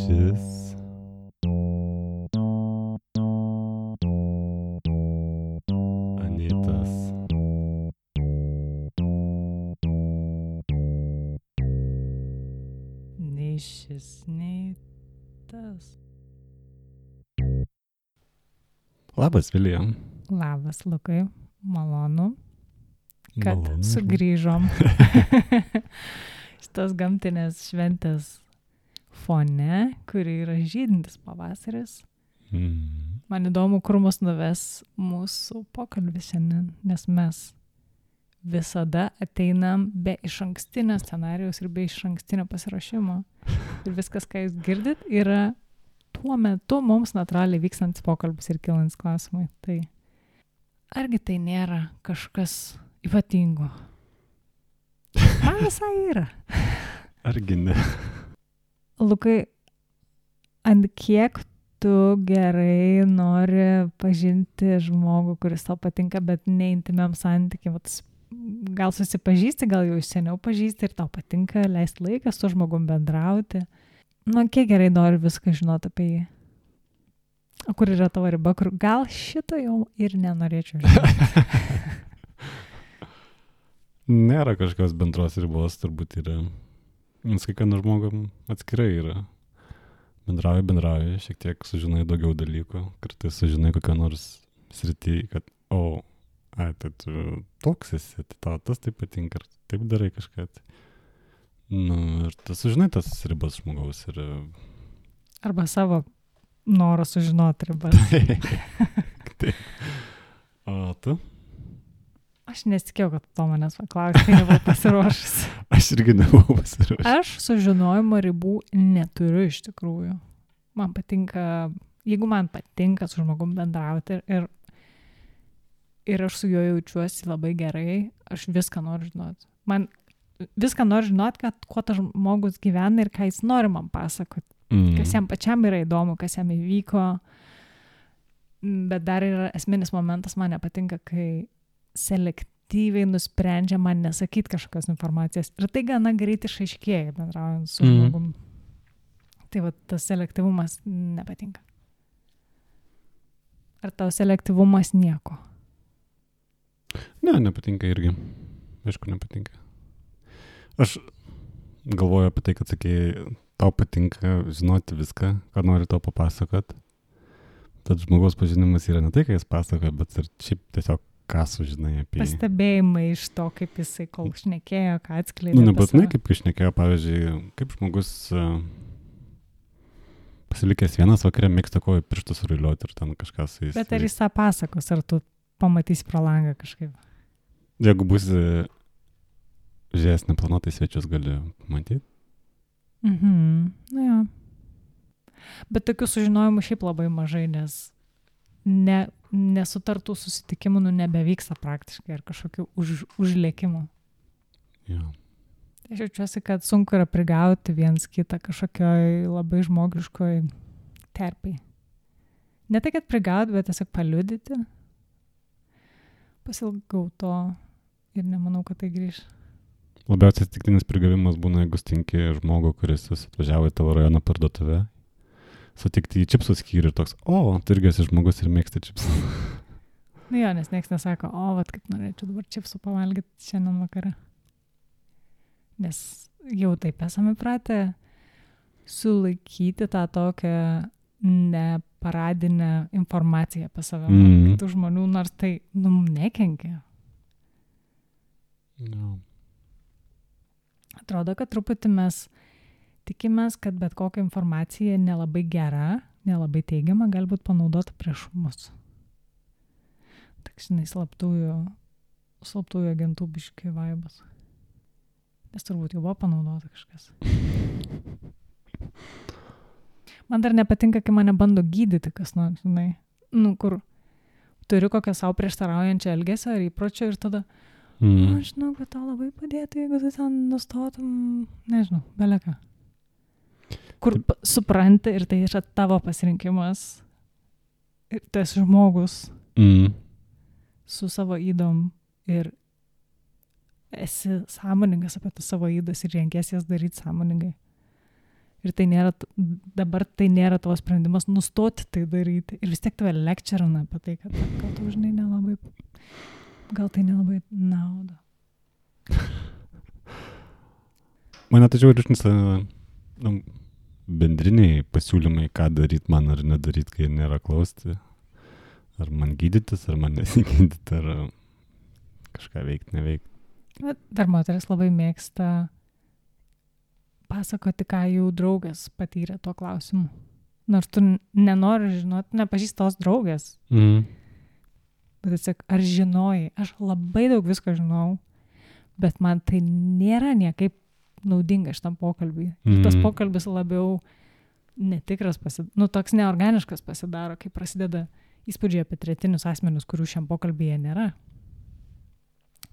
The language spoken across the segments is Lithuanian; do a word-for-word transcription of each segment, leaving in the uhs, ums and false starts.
Šis Anitas Nei šis, nei tas. Labas, Vilija. Labas, Lukai. Malonu, kad Malonu. sugrįžom šitos gamtinės šventės fone, kuri yra žydintis pavasaris. Mm. Man įdomu, kur mus nuves mūsų pokalbis šiandien, nes mes visada ateinam be išankstinio scenarijaus ir be išankstinio pasiruošimo. Ir viskas, ką jūs girdit, yra tuo metu mums natūraliai vykstantis pokalbis ir kilantis klausimai. Tai argi tai nėra kažkas ypatingo? Man visai yra. Argi ne? Lukai, ant kiek tu gerai nori pažinti žmogų, kuris tau patinka, bet ne intimiam santykiam? Gal susipažįsti, gal jau seniau pažįsti ir tau patinka leisti laiką su žmogum bendrauti. Nu, kiek gerai nori viską žinoti apie jį? O kur yra tavo riba, kur gal šito jau ir nenorėčiau žinoti? Nėra kažkokios bendros ribos, turbūt yra. Nes kiekvienam žmogum atskirai yra. Bendrauji, bendrauji, šiek tiek sužinai daugiau dalykų. Kartais sužinai kokią nors sritį, kad, o, ai, tai tu toks esi, tai tau tas taip patinka, ar taip darai kažką. Nu, ir tu sužinai tas ribas žmogaus ir... Arba savo norą sužinoti ribas. Taip. O tu? Aš nesitikėjau, kad to manęs paklausė, kai nebuvau pasiruošęs. Aš irgi nebuvau pasiruošęs. Aš sužinojimo ribų neturiu iš tikrųjų. Man patinka, jeigu man patinka su žmogum bendrauti ir, ir aš su juo jaučiuosi labai gerai, aš viską noriu žinoti. Man viską noriu žinoti, kad kuo tas žmogus gyvena ir ką jis nori man pasakoti. Mm. Kas jam pačiam yra įdomu, kas jam įvyko. Bet dar yra esminis momentas, man nepatinka, kai selektyviai nusprendžia man nesakyti kažkokios informacijos. Ir tai gana greit išaiškėja bendraujant su mm. žmogum. Tai va, tas selektyvumas nepatinka. Ar tau selektyvumas nieko? Ne, nepatinka irgi. Aišku, nepatinka. Aš galvoju apie tai, kad sakėjai, tau patinka žinoti viską, ką nori tau papasakot. Tad žmogaus pažinimas yra ne tai, ką jis pasakoja, bet ir šiaip tiesiog ką sužinai apie jį. Pastebėjimai iš to, kaip jisai kol šnekėjo, ką atskleidė. Nu, nebūtinai kaip šnekėjo, pavyzdžiui, kaip žmogus uh, pasilikęs vienas vakarė mėgsta kojų pirštus ruliuoti ir ten kažką su jais. Bet ar jis tą pasakos, ar tu pamatysi pro langą kažkaip? Jeigu būsi žiūrėjęs neplanuotai svečius, gali matyti. Mhm, nu jo. Bet tokių sužinojimų šiaip labai mažai, nes ne, nesutartų susitikimų nu, nebevyksta praktiškai ar kažkokių už, užlėkimų. Jo. Aš jaučiuosi, kad sunku yra prigauti viens kitą kažkokioj labai žmogiškoj terpiai. Ne tai, kad prigauti, bet tiesiog paliudyti. Pasilgau to ir nemanau, kad tai grįž. Labiausiai atsitiktinis prigavimas būna, jeigu stinki žmogų, kuris atvažiavo į tavo rajono parduotuvę, sutikti į čipsų skyrių ir toks, o, tu irgi esi žmogus ir mėgsti čipsų. Nu jo, nes nieks nesako, o, vat kaip norėčiau dabar čipsų pavalgyti šiandien vakarą. Nes jau taip esame pratę sulaikyti tą tokią neparadinę informaciją apie save. Mm. Tų žmonių, nors tai, nu, nekenkia. No. Atrodo, kad truputį mes tikimės, kad bet kokia informacija nelabai gera, nelabai teigiama, galbūt panaudota prieš mus. Tak, žinai, slaptųjų, slaptųjų agentų biški vaibas. Nes turbūt jau buvo panaudota kažkas. Man dar nepatinka, kai mane bando gydyti kas nors, žinai. Nu, kur turiu kokią savo prieštaraujančią elgesio ar įpročio ir tada mm. aš žinau, kad tau labai padėtų, jeigu tu ten nustotum, nežinau, beleką. Kur Taip. supranti ir tai yra tavo pasirinkimas. Ir tu esi žmogus mm. su savo ydom ir esi sąmoningas apie tas savo ydas ir renkės jas daryti sąmoningai. Ir tai nėra, dabar tai nėra tavo sprendimas nustoti tai daryti. Ir vis tiek tave lecturina apie tai, kad gal tu, žinai, nelabai, gal tai nelabai nauda. Mane tačiau ir išnisa nu, bendriniai pasiūlymai, ką daryti man ar nedaryti, kai nėra klausti. Ar man gydytis, ar man nesigydyti, ar kažką veikti, neveikti. Dar moteris labai mėgsta pasakoti, ką jų draugas patyrė tuo klausimu. Nors tu nenori žinoti, nepažįsti tos draugės. Mm. Bet atsak, ar žinojai? Aš labai daug visko žinau, bet man tai nėra niekaip naudinga šitam pokalbiui. Mm. Tas pokalbis labiau netikras, pasidaro, nu toks neorganiškas pasidaro, kai prasideda įspūdžiai apie tretinius asmenius, kurių šiam pokalbyje nėra.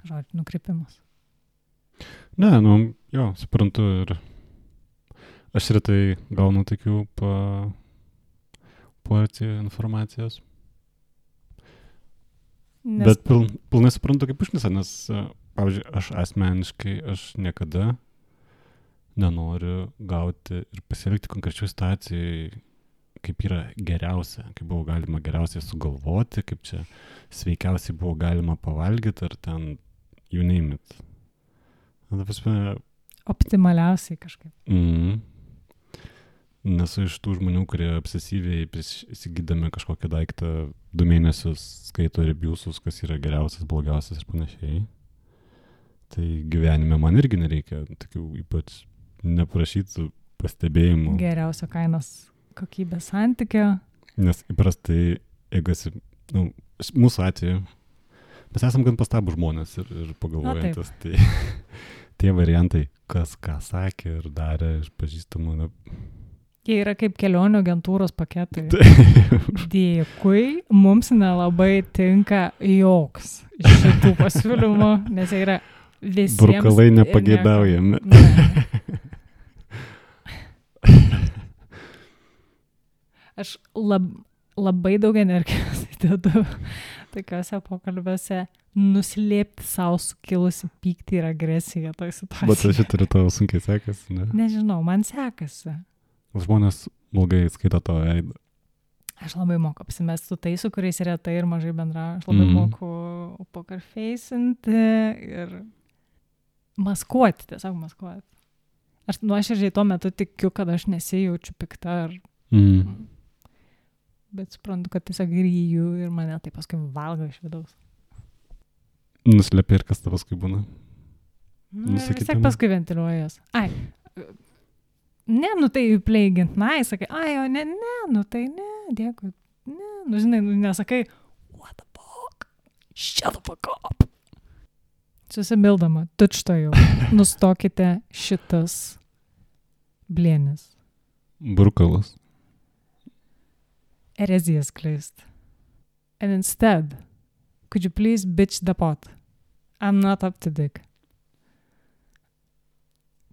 Žodžiu, nukrypimas. Ne, nu, jo, suprantu ir aš retai gaunu tokių pa, porcijų informacijos. Nes... Bet pil, pilnai suprantu kaip užknisa, nes, pavyzdžiui, aš asmeniškai, aš niekada nenoriu gauti ir pasielgti konkrečių situacijai, kaip yra geriausia, kaip buvo galima geriausiai sugalvoti, kaip čia sveikiausiai buvo galima pavalgyti, ar ten you name it. Na, pasme... Optimaliausiai kažkaip. Mm. Nesu iš tų žmonių, kurie obsesyviai įsigydami kažkokią daiktą du mėnesius skaito reviewsus, kas yra geriausias, blogiausias ir panašiai. Tai gyvenime man irgi nereikia tokių ypač neprašytų pastebėjimų. Geriausio kainos kokybės santykio. Nes įprastai, jeigu esi, nu, mūsų atveju, mes esam gan pastabų žmonės ir, ir pagalvojantis. Tai tie variantai, kas ką sakė ir darė iš pažįstamų, na, jie yra kaip kelionių agentūros paketai. Dėkui, mums nelabai tinka joks iš šitų pasiūlymų, nes jie yra visiems... Brukalai nepageidaujami. Ne. Aš lab, labai daug energijos įdedu tokiuose pokalbiuose nuslėpti savo sukilusi pyktį ir agresiją toj situacijai. Bet aš turiu tavo sunkiai sekasi, ne? Nežinau, man sekasi. Žmonės ilgai skaito tavo veidą. Aš labai moku apsimesti su tais, su kuriais retai ir mažai bendrauju. Aš labai mm. moku pokerfeisinti ir maskuoti, tiesiog maskuoti. Aš nuoširdžiai tuo metu tikiu, kad aš nesijaučiu pikta. Ar... Mm. Bet suprantu, kad tiesiog ryju ir mane tai paskui valgo iš vidaus. Nuslėpia ir kas tavas kai būna? Nu, vis tiek paskui ventiliuojas. Ai, ne, nu tai pleigint, na, sakai, ai, o ne, ne, nu tai ne, dėkui, ne, nu žinai, nu nesakai, what the fuck, shut the fuck up. Susimildama, tučtojau, nustokite šitas blėnis. Brukalas. Erezijas kleist. And instead, could you please bitch the pot? I'm not up to dick.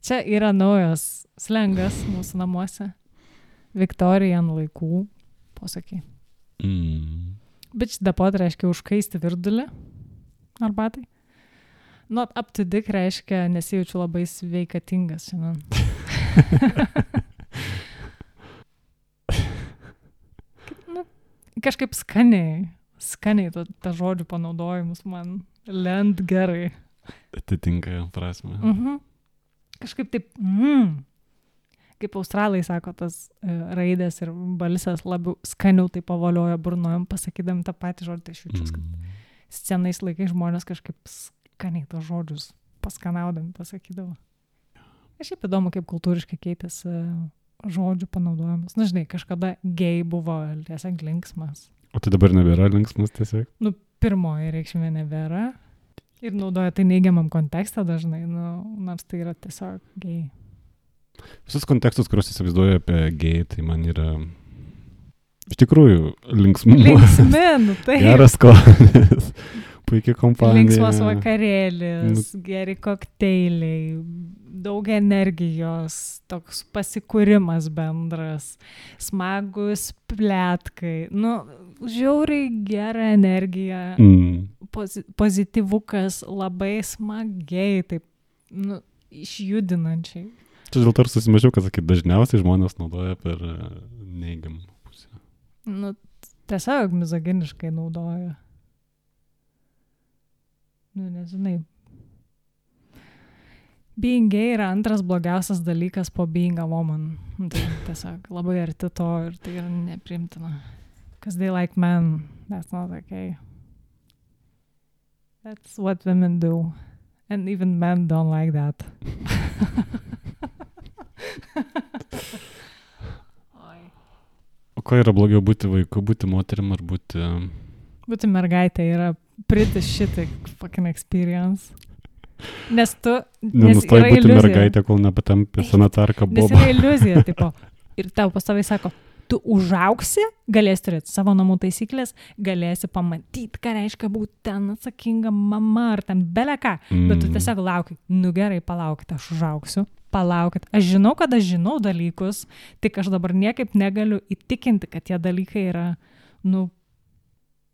Čia yra naujas slengas mūsų namuose. Victorian laikų posakiai. Mm. Bitch the pot reiškia užkaisti virdulį arbatai. Not up to dick reiškia nesijaučiu labai sveikatingas šiandien. nu, kažkaip skaniai, skaniai ta, ta žodžių panaudojimus man lend gerai. Atitinka prasme. Mhm. Kažkaip taip, mm, kaip australai sako, tas uh, raidės ir balsas labiau skaniau tai pavolioja burnojom, pasakydami tą patį žodį, tai aš jaučiu, kad Mm. scenais laikai žmonės kažkaip skaniai tos žodžius paskanaudami pasakydavo. Aš šiaip įdomu, kaip kultūriškai keitėsi uh, žodžių panaudojimas. Na, žinai, kažkada gay buvo tiesiog linksmas. O tai dabar nebėra linksmas tiesiog? Nu, pirmoji reikšmė nebėra. Ir naudoja tai neigiamam kontekste dažnai, nu, nors tai yra tiesiog gay. Visus kontekstus, kuriuos įsivaizduoju apie gay, tai man yra iš tikrųjų linksmumas. Linksmi, nu tai. Geras skonis, puikia kompanija. Linksmas vakarėlis, nu, geri kokteiliai, daug energijos, toks pasikūrimas bendras, smagus plėtkai, nu, žiauriai gera energija. Mm. Pozityvukas, labai smagiai, taip, nu, išjudinančiai. Čia dėl to ir susimažiau, kad sakyt, dažniausiai žmonės naudoja per neigiamą pusę. Nu, tiesiog mizoginiškai naudoja. Nu, nežinai. Being gay yra antras blogiausias dalykas po being a woman. Tai tiesiog labai arti to ir tai yra nepriimtina. Because they like men. That's not okay. That's what women do. And even men don't like that. O ko yra blogiau būti vaiku, būti moterim ar būti... Būti mergaitė yra pretty shitty fucking experience. Nes tu... Nenustoji būti iliuzija. Mergaitė, kol nepatampi sanatarka boba. Nes yra iliuzija, tipo. Ir tau pastoviai sako, tu užaugsi, galėsi turėti savo namų taisyklės, galėsi pamatyti, ką reiškia būti ten atsakinga mama ar ten beleką. Mm. Bet tu tiesiog lauki, nu gerai, palaukit, aš užaugsiu. Palaukit, aš žinau, kad aš žinau dalykus, tik aš dabar niekaip negaliu įtikinti, kad tie dalykai yra, nu,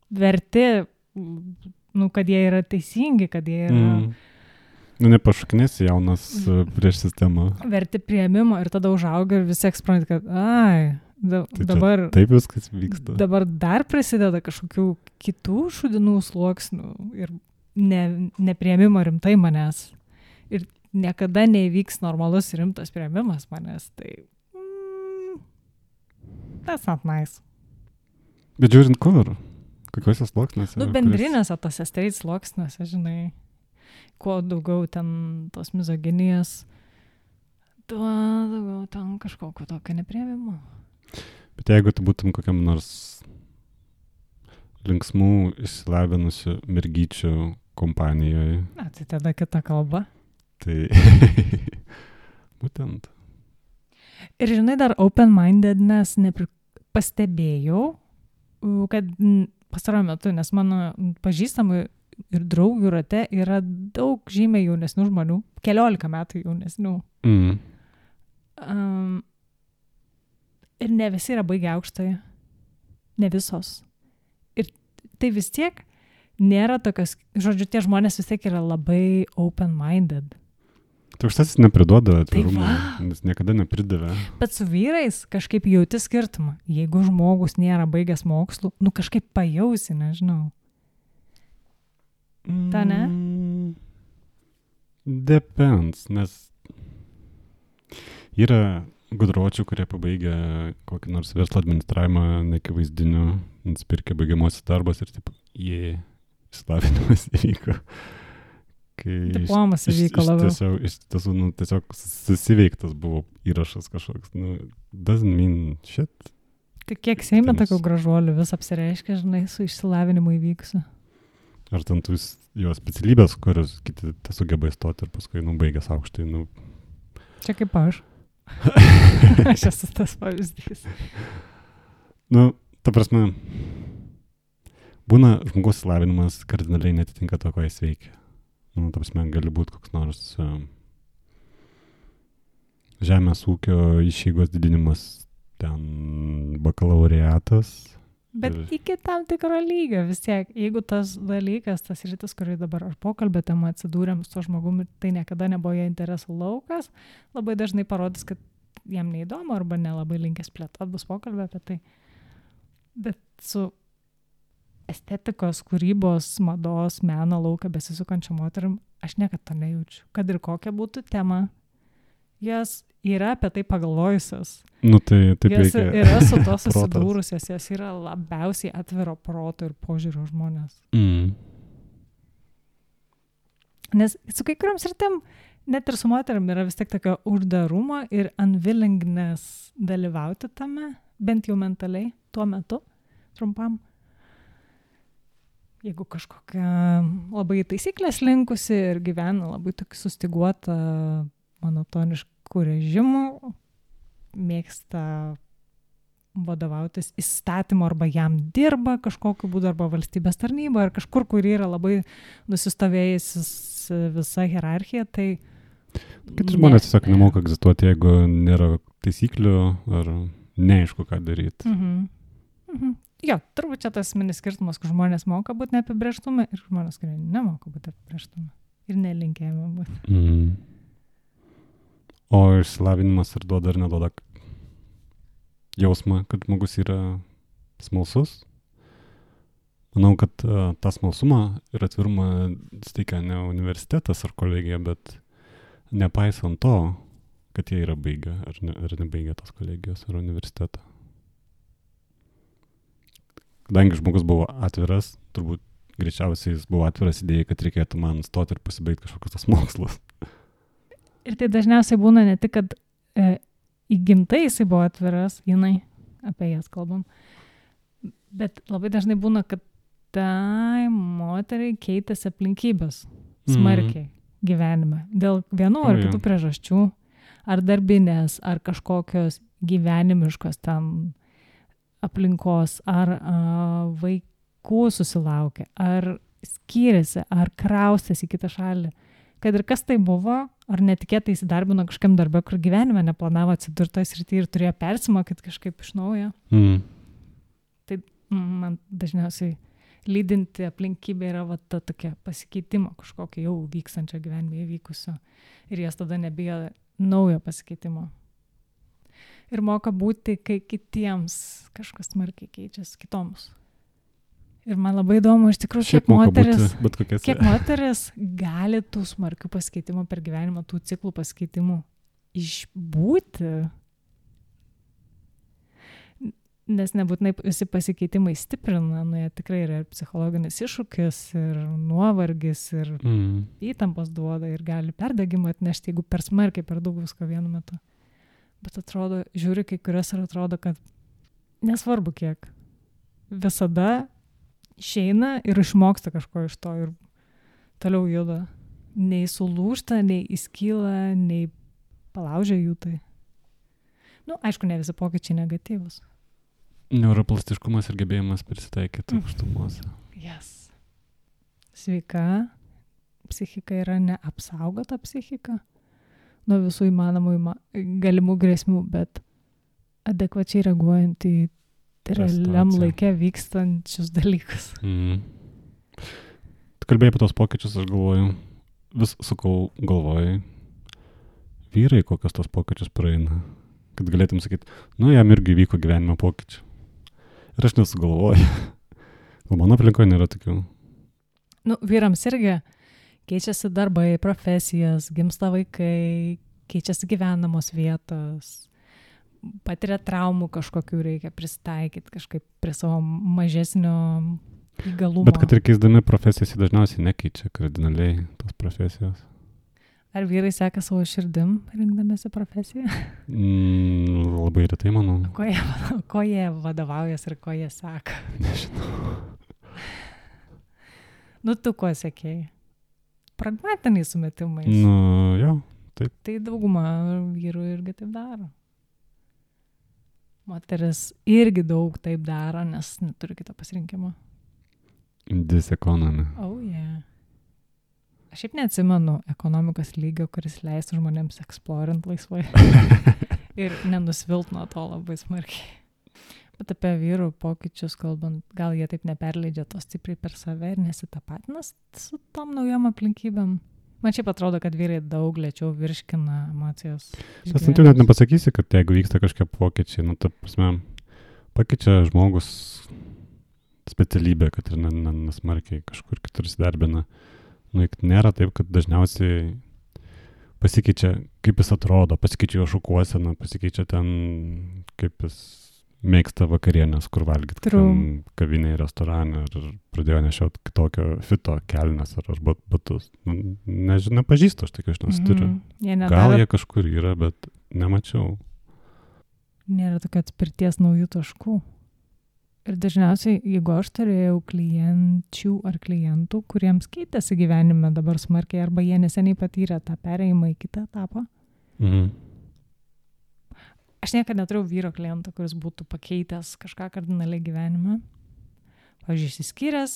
verti, nu, kad jie yra teisingi, kad jie yra... Mm. Nu, nepašuknėsi jaunas prieš sistemą. Verti priėmimo ir tada užauga ir visi ekspranti, kad, ai, da, tai dabar... Taip viskas vyksta. Dabar dar prasideda kažkokių kitų šudinų sluoksnių ir ne, nepriėmimo rimtai manęs. Ir niekada neįvyks normalus rimtas priėmimas manęs, tai mm, that's not nice. Bet žiūrint kur? Kokiuose sluoksniuose? Nu, bendrinėse tose straight sluoksniuose, žinai, kuo daugiau ten tos mizoginijos, tuo daugiau ten kažkokio tokio nepriėmimo. Bet jeigu tu būtum kokiam nors linksmų, išsilavinusių mergyčių kompanijoje. Na, tai tada kita kalba. Tai būtent. Ir žinai, dar open-mindedness nepri... pastebėjau, kad pastaruoju metu, nes mano pažįstamų ir draugių rate yra daug žymiai jaunesnių žmonių, keliolika metų jaunesnių. Mm. Um, ir ne visi yra baigę aukštąją, ne visos. Ir tai vis tiek nėra tokios, žodžiu, tie žmonės vis tiek yra labai open-minded. Tai aukštasis nepriduoda atvirumo, nes niekada nepridavė. Bet su vyrais kažkaip jauti skirtumą. Jeigu žmogus nėra baigęs mokslų, nu kažkaip pajausi, nežinau. Ta ne? Mm, depends, nes yra gudročių, kurie pabaigia kokį nors verslo administravimą nekivaizdiniu, nusipirkė baigiamosios darbas ir taip, jie, išsilavinimas įvyko. Diplomas įvyko labiau. Tiesiog, iš tiesų, nu, tiesiog susiveiktas buvo įrašas kažkoks. Nu, doesn't mean shit. Tai kiek Seime tokių gražuolių vis apsireiškia, žinai, su išsilavinimu įvyksiu. Ar ten tų jo specialybės, kurios kiti sugeba įstoti ir paskui, nu, baigęs aukštai, nu... Čia kaip aš. Aš esu tas pavyzdys. Nu, ta prasme, būna žmogaus įsilavinimas kardinaliai netitinka to, ko jis veikia. Nu, ta prasme, gali būti koks nors uh, žemės ūkio išeigos didinimas, ten bakalaureatas. Bet ir... iki tam tikro lygio vis tiek, jeigu tas dalykas, tas rytis, kurį dabar ar pokalbė tema atsidūrėm su to žmogumi, tai niekada nebuvo jo interesų laukas, labai dažnai parodys, kad jam neįdomu arba nelabai linkęs plėtot, bus pokalbė apie tai. Bet su estetikos, kūrybos, mados, meno lauką besisukančią moterim, aš niekad to nejaučiu. Kad ir kokia būtų tema, jos yra apie tai pagalvojusios. Nu, tai taip jos reikia. Yra su to susidūrusios, jos yra labiausiai atviro proto ir požiūrio žmonės. Mm. Nes su kai kuriam sritim, net ir su moterim yra vis tiek tokio uždarumo ir unwillingness dalyvauti tame, bent jau mentaliai, tuo metu, trumpam. Jeigu kažkokia labai taisyklės linkusi ir gyvena labai tokį sustiguotą monotoniškų režimų, mėgsta vadovautis įstatymu arba jam dirba kažkokiu būdu arba valstybės tarnyba ar kažkur, kur yra labai nusistovėjusis visa hierarchija, tai... Kiti žmonės tiesiog nemoka egzistuoti, jeigu nėra taisyklių ar neaišku, ką daryti. Mhm. Mhm. Jo, turbūt čia tas minis skirtumas, kur žmonės moka būti neapibrėžtume ir žmonės, kurie nemoka būti apibrėžtume ir nelinkėjame būti. Mm. O išsilavinimas ir duoda ar neduoda jausmą, kad žmogus yra smalsus. Manau, kad uh, tą smalsumą ir atvirumą steikia ne universitetas ar kolegija, bet nepaisant to, kad jie yra baigę ar, ne, ar nebaigę tos kolegijos ar universitetą. Kadangi žmogus buvo atviras, turbūt greičiausiai jis buvo atviras idėjai, kad reikėtų man stoti ir pasibaigti kažkokius tos mokslus. Ir tai dažniausiai būna ne tik, kad e, įgimtai jisai buvo atviras, jinai, apie jas kalbam, bet labai dažnai būna, kad tai moteriai keitėsi aplinkybės smarkiai mm. gyvenime. Dėl vienų ar O, kitų jo. priežasčių, ar darbinės, ar kažkokios gyvenimiškos ten aplinkos, ar a, vaikų susilaukė, ar skyrėsi, ar kraustėsi į kitą šalį. Kad ir kas tai buvo, ar netikėtai įsidarbino kažkam darbę, kur gyvenime neplanavo atsidurti toje srityje ir turėjo persimokyti kažkaip iš naujo. Mm. Tai man dažniausiai lydinti aplinkybė yra va ta tokia pasikeitimo kažkokio jau vykstančio gyvenime įvykusio. Ir jas tada nebijo naujo pasikeitimo. Ir moka būti, kai kitiems kažkas smarkiai keičiasi, kitoms. Ir man labai įdomu, iš tikrųjų, Šiaip kiek moka moteris, būti bet kokiose. kiek moteris gali tų smarkių pasikeitimų per gyvenimą, tų ciklų pasikeitimų išbūti. Nes nebūtinai visi pasikeitimai stiprina, nu jie tikrai yra ir psichologinis iššūkis, ir nuovargis, ir Mm. įtampos duoda, ir gali perdegimą atnešti, jeigu per smarkiai, per daug visko vienu metu. Bet atrodo, žiūri kai kurias ir atrodo, kad nesvarbu kiek. Visada išeina ir išmoksta kažko iš to ir toliau juda. Nei sulūžta, nei įskyla, nei palaužia jų tai. Nu, aišku, ne visi pokyčiai negatyvus. Neuroplastiškumas ir gebėjimas prisitaikyti aukštumose. Yes. Sveika psichika yra neapsaugota psichika nuo visų įmanomų įma, galimų grėsmių, bet adekvačiai reaguojant į realiam situacija. laike vykstančius dalykus. Mm. Tu kalbėjai apie tos pokyčius, aš galvoju, vis sukau galvojai, vyrai kokios tos pokyčius praeina, kad galėtum sakyti, nu jam irgi vyko gyvenimo pokyčių. Ir aš nesugalvoju. Gal mano aplinkoje nėra tokių. Nu, vyrams irgi keičiasi darbai, profesijas, gimsta vaikai, keičiasi gyvenamos vietos, patiria traumų kažkokių, reikia pristaikyti kažkaip prie savo mažesnio įgalumo. Bet kad ir keisdami profesijas, jie dažniausiai nekeičia kardinaliai tos profesijos. Ar vyrai seka savo širdim, rinkdamėsi profesiją? Mm, labai retai, manau. Ko jie, ko jie vadovaujas ir ko jie seka? Nežinau. Nu, tu ko sekėjai? Pragmatiniai sumetimais. Nu, jo. Tai dauguma vyrų irgi taip daro. Moteris irgi daug taip daro, nes neturi kito pasirinkimo. Diseconomy. Oh, yeah. Aš šiaip neatsimenu ekonomikos lygio, kuris leistų žmonėms eksplorint laisvai ir nenusvilt nuo to labai smarkiai. Bet apie vyrų pokyčius kalbant, gal jie taip neperleidžia to stipriai per save ir nesitapatina su tom naujom aplinkybėm. Man šiaip atrodo, kad vyrai daug lėčiau virškina emocijas. Tas tu net nepasakysi, kad jeigu vyksta kažkokie pokyčiai, nu, ta prasme, pakeičia žmogus specialybę, kad ir nesmarkiai kažkur kitur įsidarbina. Nu, nėra taip, kad dažniausiai pasikeičia, kaip jis atrodo, pasikeičia jo šukuosena, pasikeičia ten, kaip jis mėgsta vakarienės, kur valgyti, kavinėje, restorane, ar pradėjo nešioti kitokio fito kelnes ar, ar batus. Nu, nežinau, pažįstu aš tokių, aš nesituriu. Mm-hmm. Gal nedaro... jie kažkur yra, bet nemačiau. Nėra tokio atspirties naujų taškų. Ir dažniausiai, jeigu aš turėjau klienčių ar klientų, kuriems keitėsi gyvenime dabar smarkiai, arba jie neseniai patyrė tą perėjimą į kitą etapą. Mhm. Aš niekada neturėjau vyro kliento, kuris būtų pakeitęs kažką kardinaliai gyvenime. Pavyzdžiui, išsiskyręs,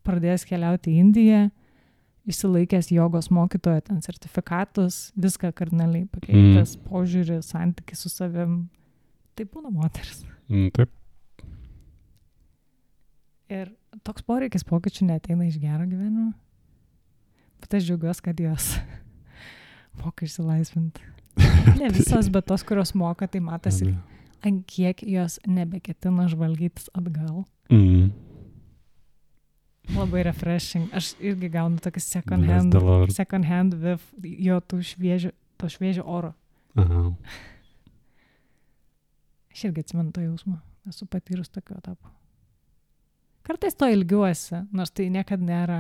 pradėjęs keliauti į Indiją, išsilaikęs jogos mokytojo ten sertifikatus, viską kardinaliai pakeitęs, mm. požiūrį, santykį su savim. Tai būna moteris. Mm, taip. Ir toks poreikis pokyčių neateina iš gero gyvenimo. Bet aš džiaugiuosi, kad jos moka išsilaisvinti. Ne visas, bet tos, kurios moka, tai matosi, ant kiek jos nebeketina žvalgytis atgal. Mm. Labai refreshing. Aš irgi gaunu tokį second Bless hand, the Lord. second hand with jo tų šviežio, to šviežio oro. Aha. Aš irgi atsimenu to jausmą. Esu patyrus tokio etapo. Kartais to ilgiuosi, nors tai niekada nėra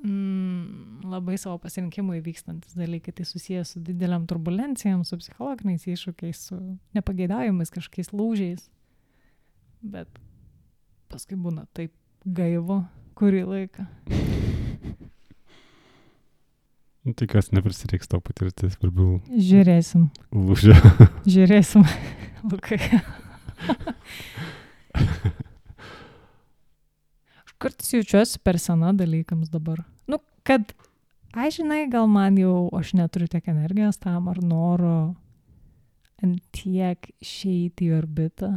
mm, labai savo pasirinkimui vykstantis dalykai. Tai susijęs su dideliam turbulencijam, su psichologiniais iššūkiais, su nepageidaujamais kažkokiais lūžiais. Bet paskui būna taip gaivu kurį laiką. Tikiuosi neprisireiks tau patirti svarbių Žiūrėsim. lūžio. Žiūrėsim, Lukai. Aš kartais jaučiuosi per sena dalykams dabar. Nu, kad, aš žinai, gal man jau, aš neturiu tiek energijos tam ar noro ant tiek išeiti į orbitą.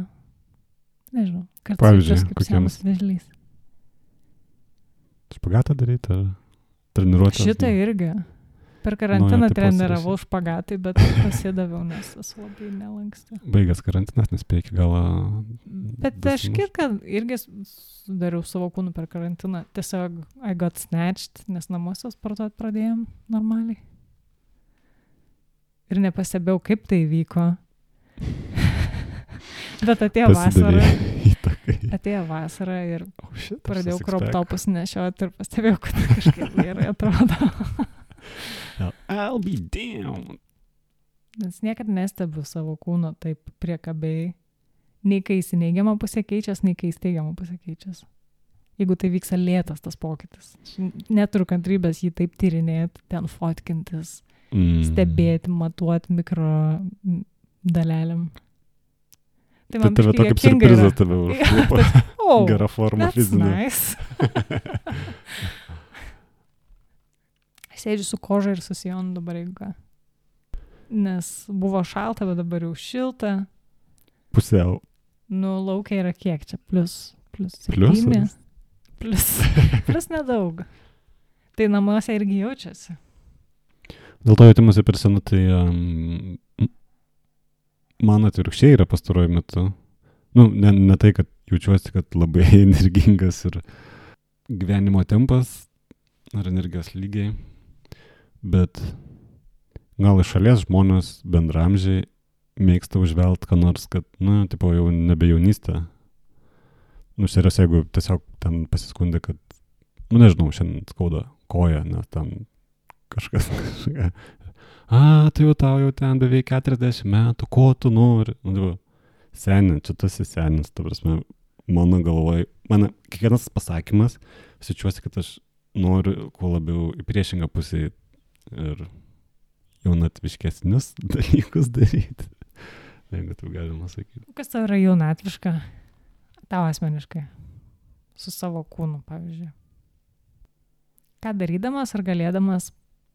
Nežinau, kartais Pavyzdžiui, jaučiuosi kaip kokiems? senas vėžlys. Špagatą daryti ar treniruotę? Šitą irgi. Per karantiną Naujo tipo treniravau špagatai, bet pasidaviau, nes esu labai nelanksti. Baigęs karantinas, nespėjai iki galą. Bet aš kitką irgi sudariau savo kūnų per karantiną. Tiesiog I got snatched, nes namuose sportuot pradėjom normaliai. Ir nepastebėjau, kaip tai vyko. Bet atėjo vasara. Atėjo vasara ir Oh, shit, pradėjau crop topus nešioti ir pastebėjau, kad kažkaip gerai atrodo. I'll be down. Nes niekad nestebiu savo kūno taip priekabiai. Nei kai jis į neigiamą pusę keičias, nei kai jis teigiamą pusę keičias. Jeigu tai vyksta lėtas tas pokytis. Neturiu kantrybės jį taip tyrinėti, ten fotkintis, Mm. stebėti, matuoti mikro dalelėm. Tai Tai tave tokį surprizą tave užklupo. Oh, Gera forma that's fizinė. nice. Sėdžiu su koža ir su sijonu dabar, jeigu ką. Nes buvo šalta, bet dabar jau šilta. Pusiau. Nu, laukia yra kiek čia? Plus, plus Pliusas? septyni. Plus, plus nedaug. Tai namuose irgi jaučiasi. Dėl to jautimuose per senu, tai um, man atvirkščiai yra pastaruoju metu. Nu, ne, ne tai, kad jaučiuosi, kad labai energingas ir gyvenimo tempas ar energijos lygiai, bet gal iš šalies žmonės bendramžiai mėgsta užvelt, ką nors, kad, nu, tipo, jau nebe jaunystė. Nu, serios, jeigu tiesiog ten pasiskundė, kad, nu, nežinau, šiandien skauda koja, nes ten kažkas kažką. A, tai jau tau jau ten beveik keturiasdešimt metų, ko tu nori? Nu, tai, senin, čia tu esi senis, ta prasme, mano galvoj, mano kiekvienas pasakymas, sičiuosi, kad aš noriu kuo labiau į priešingą pusę ir jaunatviškesnius dalykus daryti. Jeigu taip galima sakyti. Kas tau yra jaunatviška? Tau asmeniškai. Su savo kūnu, pavyzdžiui. Ką darydamas ar galėdamas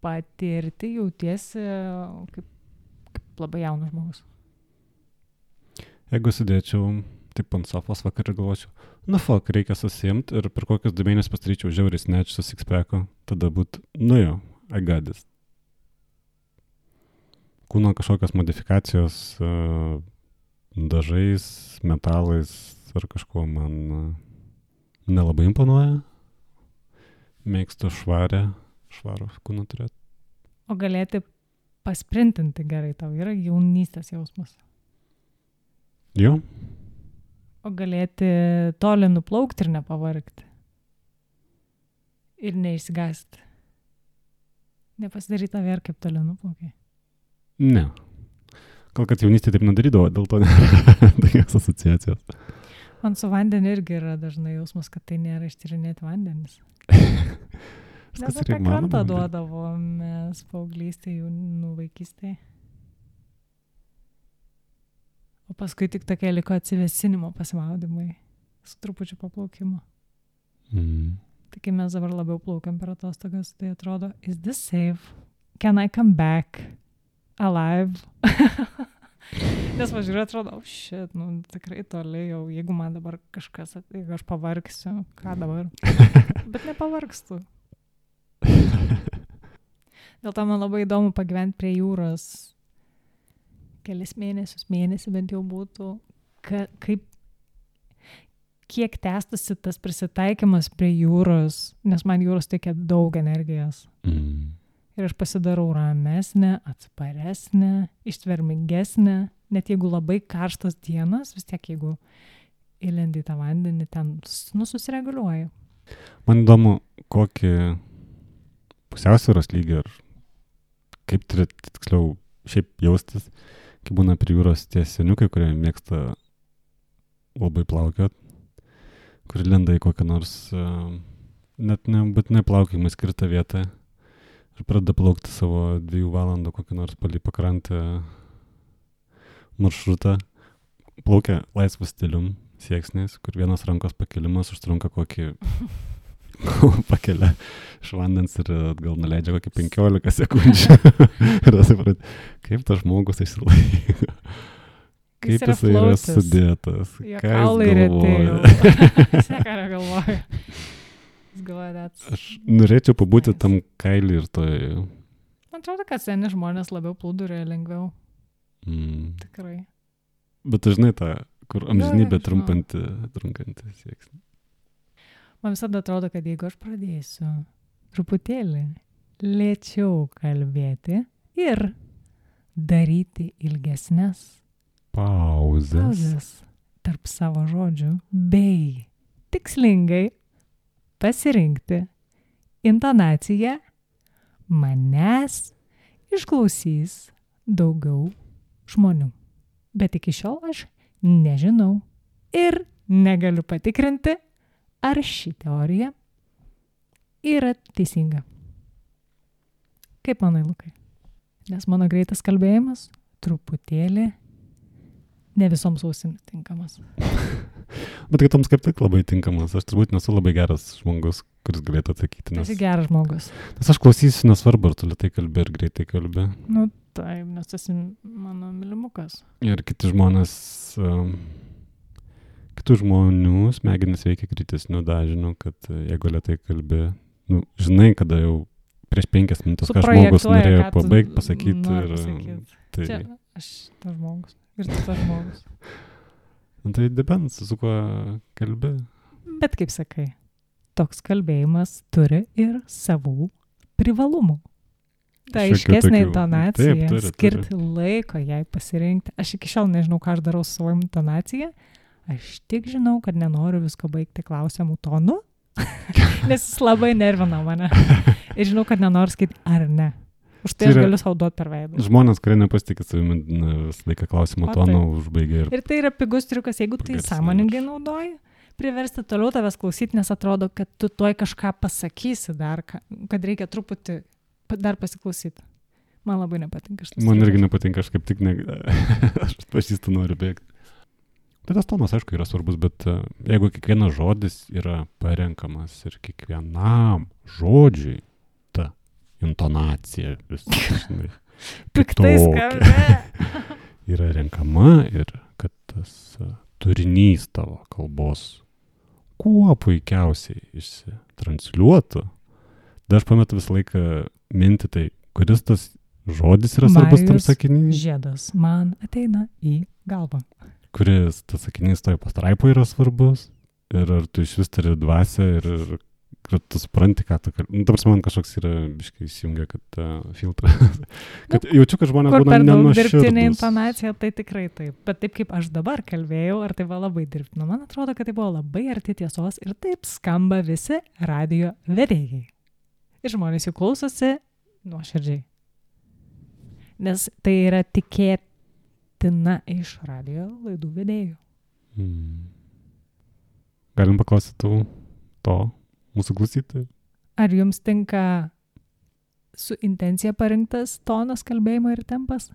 patirti jautiesi kaip, kaip labai jaunas žmogus? Jeigu sėdėčiau taip ant sofos vakarą galvočiau, nu fuck, reikia susiimti ir per kokius du mėnesius pastaryčiau žiauriai snatch su sixpacku, tada būt, nu jo, I got this. Kūno kažkokios modifikacijos uh, dažais, metalais ar kažkuo man uh, nelabai imponuoja. Mėgstu švarę, švarų kūną turėti. O galėti pasprintinti gerai, tau yra jaunystės jausmas. Jo. O galėti toli nuplaukti ir nepavargti. Ir neišsigąsti. Nepasidaryti tave ir kaip toli nuplaukiai. Ne. Gal kad jaunystė taip nedarydavo, dėl to nėra tokios asociacijos. Man su vandeniu irgi yra dažnai jausmas, kad tai nėra ištyrinėti vandenis. Nes apie krantą duodavo mes paauglystėje, jaunų vaikystėje. O paskui tik tokia liko atsivesinimo pasimaudimai su trupučiu paplaukimo. Mm. Tai kai mes dabar labiau plaukiam per atostogas, tai atrodo, is this safe? Can I come back alive? Nes važiuoju, atrodo, oh shit, nu tikrai toli jau, jeigu man dabar kažkas, jeigu aš pavargsiu, ką dabar? Bet nepavargstu. Dėl to man labai įdomu pagyventi prie jūros kelis mėnesius, mėnesį bent jau būtų, ka, kaip, kiek tęstusi tas prisitaikymas prie jūros, nes man jūros teikia daug energijos. Mm. Ir aš pasidarau ramesnė, atsparesnė, ištvermingesnė, net jeigu labai karštos dienos, vis tiek jeigu įlendi tą vandenį, ten nu, susireguliuoju. Man įdomu, kokį pusiausvyros lygį ir kaip turi tiksliau šiaip jaustis, kai būna prie jūros tie seniukai, kurie mėgsta labai plaukiot, kur lenda į kokią nors uh, net nebūtinai plaukiamai skirtą vietą ir pradeda plaukti savo dviejų valandų kokį nors palei pakrantę maršrutą. Plaukia laisvas stilium, sieksnis, kur vienas rankos pakelimas užtrunka kokį pakelia iš vandens ir atgal nuleidžia kokį penkiolika sekundžių. Ir suprat, kaip tas žmogus išsilaiko. Kaip jis yra, yra sudėtas. Jo kaulai retėjo. Jis neką negalvoja. Jis galvoja, that's... Aš norėčiau pabūti nice. Tam kailį ir toj... Man atrodo, kad seni žmonės labiau plūdurėje lengviau. Mm. Tikrai. Bet dažnai tą, kur amžinybė trumpanti, trunkanti sieksnį. Man visada atrodo, kad jeigu aš pradėsiu truputėlį lėčiau kalbėti ir daryti ilgesnes pauzes, pauzes tarp savo žodžių bei tikslingai pasirinkti intonaciją, manęs išklausys daugiau žmonių. Bet iki šiol aš nežinau ir negaliu patikrinti, ar ši teorija yra teisinga. Kaip manai, Lukai? Nes mano greitas kalbėjimas truputėlį ne visoms ausims tinkamas. Bet kitoms kaip tik labai tinkamas. Aš turbūt nesu labai geras žmogus, kuris galėtų atsakyti. Nes... Esi geras žmogus. Nes aš klausysiu, nesvarbu, ar tu lėtai kalbi ir greitai kalbi. Nu, taip, nes esi mano mylimukas. Ir kiti žmonės, um, kitų žmonių smegenys veikia kritesnių dažnių, kad jeigu lėtai kalbi, nu, žinai, kada jau prieš penkias minutės, ką žmogus norėjo pabaigti, pasakyti. Ir, pasakyt. tai... Čia aš tas žmogus. Ir tu tas žmogus. Tai depends, su kuo kalbi. Bet kaip sakai, toks kalbėjimas turi ir savų privalumų. Ta aiškesnė intonacija, Taip, turi, skirti turi. Laiko jai pasirinkti. Aš iki šiol nežinau, ką aš darau su savo intonacija. Aš tik žinau, kad nenoriu visko baigti klausimų tonu, nes jis labai nervina mane. Ir žinau, kad nenoriu skaityti ar ne. Už tai aš galiu sau duoti per veidą. Žmonės, kurie nepasitikė savimi, visą laiką klausimų toną užbaigia. Ir... ir tai yra pigus triukas, jeigu tai sąmoningai naudoji, priversti toliau tavęs klausyti, nes atrodo, kad tu tuoj kažką pasakysi dar, kad reikia truputį dar pasiklausyti. Man labai nepatinka šitas. Man irgi nepatinka, aš kaip tik ne... aš pažįstu noriu bėgti. Tai tas tonas, aišku, yra svarbus, bet jeigu kiekvienas žodis yra parenkamas ir kiekvienam žodžiui intonacija visai, žinai, piktai skambė. Yra renkama ir kad tas uh, turinys tavo kalbos kuo puikiausiai išsitransliuotų. Dar aš pametu visą laiką mintį, tai kuris tas žodis yra svarbus tam sakinys? Žiedas man ateina į galvą. Kuris tas sakinys toje pastraipoje yra svarbus ir ar tu iš vis turi dvasią ir, ir kad tu supranti, ką tu kalbi. Nu, ta prasme, man kažkoks yra biškai įsijungia, kad uh, filtras. kad nu, jaučiu, kad žmonės būna nenuoširdūs. Kur per daug dirbtinė intonacija, tai tikrai taip. Bet taip, kaip aš dabar kalbėjau, ar tai buvo labai dirbtina. Man atrodo, kad tai buvo labai arti tiesos ir taip skamba visi radijo vedėjai. Ir žmonės jų klausosi nuoširdžiai. Nes tai yra tikėtina iš radijo laidų vedėjų. Hmm. Galim paklausyti tų to. Mūsų klausytojai. Ar jums tinka su intencija parinktas tonas kalbėjimo ir tempas?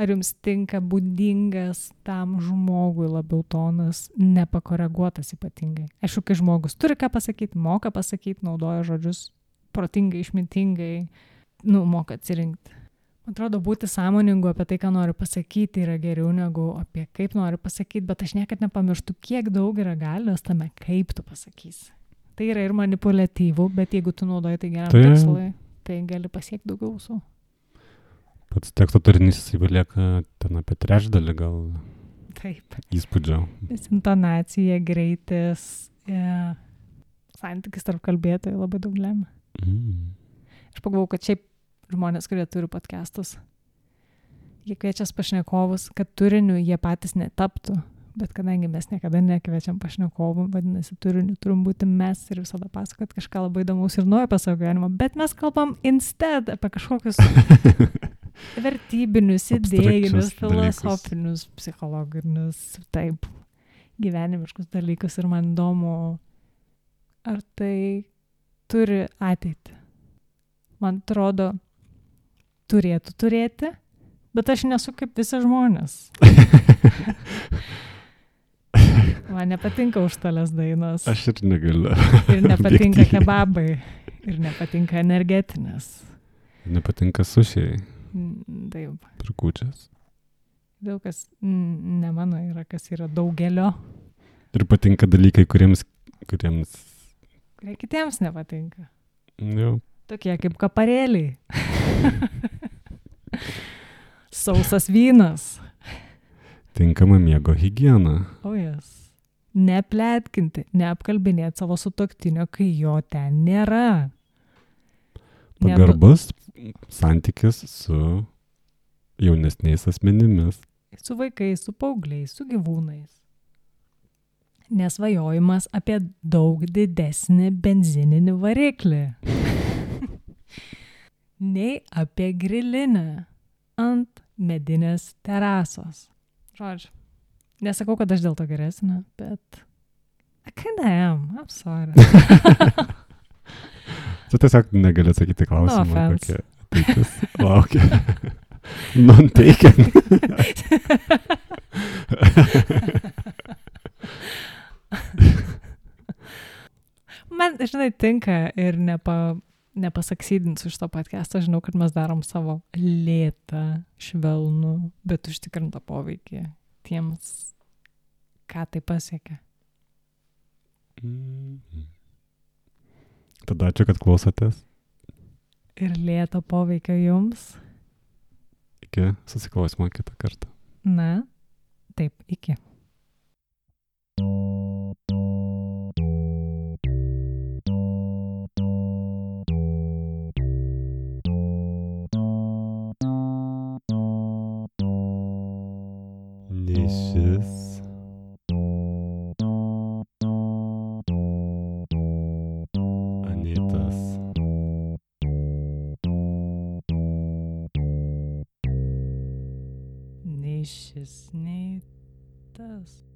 Ar jums tinka būdingas tam žmogui labiau tonas, nepakoreguotas ypatingai? Aišku, kai žmogus turi ką pasakyti, moka pasakyti, naudoja žodžius protingai, išmintingai, nu, moka atsirinkti. Man atrodo, būti sąmoningu apie tai, ką nori pasakyti, yra geriau negu apie kaip nori pasakyti, bet aš niekad nepamirštu, kiek daug yra galios tame, kaip tu pasakysi. Tai yra ir manipuliatyvų, bet jeigu tu naudoji tai geram tai, tikslui, tai gali pasiekti daugiau su. Pats teksto turinys jisai palieka ten apie trečdalį gal Taip. įspūdžio. Nes intonacija, greitis, e, santykis tarp kalbėtojų labai daug lemia. Mm. Aš pagalvojau, kad šiaip žmonės, kurie turi podcastus, jie kviečias pašnekovus, kad turiniu jie patys netaptų, bet kadangi mes niekada nekviečiam pašnekovų, vadinasi, turiniu turim būti mes ir visada pasakot kažką labai įdomaus ir naujo apie savo gyvenimą, bet mes kalbam instead apie kažkokius vertybinius, idėjinius, filosofinius, psichologinius, taip, gyvenimiškus dalykus ir man įdomu, ar tai turi ateitį. Man atrodo, turėtų turėti, bet aš nesu kaip visi žmonės. Man nepatinka užstalės dainos. Aš ir negaliu. Ir nepatinka kebabai. Ir nepatinka energetinės. Nepatinka sušiai. Taip. Ir kūčias. Daug kas ne mano yra, kas yra daugelio. Ir patinka dalykai, kuriems... kuriems... kurie kitiems nepatinka. Jau. Tokie kaip kaparėliai. Sausas vynas. Tinkama miego higiena. O jas. Nepletkinti, neapkalbinėti savo sutuoktinio, kai jo ten nėra. Pagarbus santykis su jaunesniais asmenimis. Su vaikais, su paaugliais, su gyvūnais. Nesvajojimas apie daug didesnį benzininį variklį. Nei apie grilinę ant medinės terasos. Žodžiu, nesakau, kad aš dėl to geresnė, bet I kinda am, I'm sorry. Tu tiesiog negali atsakyti klausimą, No offense. kokia ateitis laukia. Non-taken. Man, žinai, tinka ir nepa, nepasaksidinsiu šito podcast'o. Žinau, kad mes darom savo lėtą, švelnų, bet užtikrintą poveikį tiems, ką tai pasiekia. Mm. Tada ačiū, kad klausotės. Ir lėto poveikio jums. Iki susiklausimo kitą kartą. Na, taip, iki. Nišis. Anytas. Nei šis, nei tas.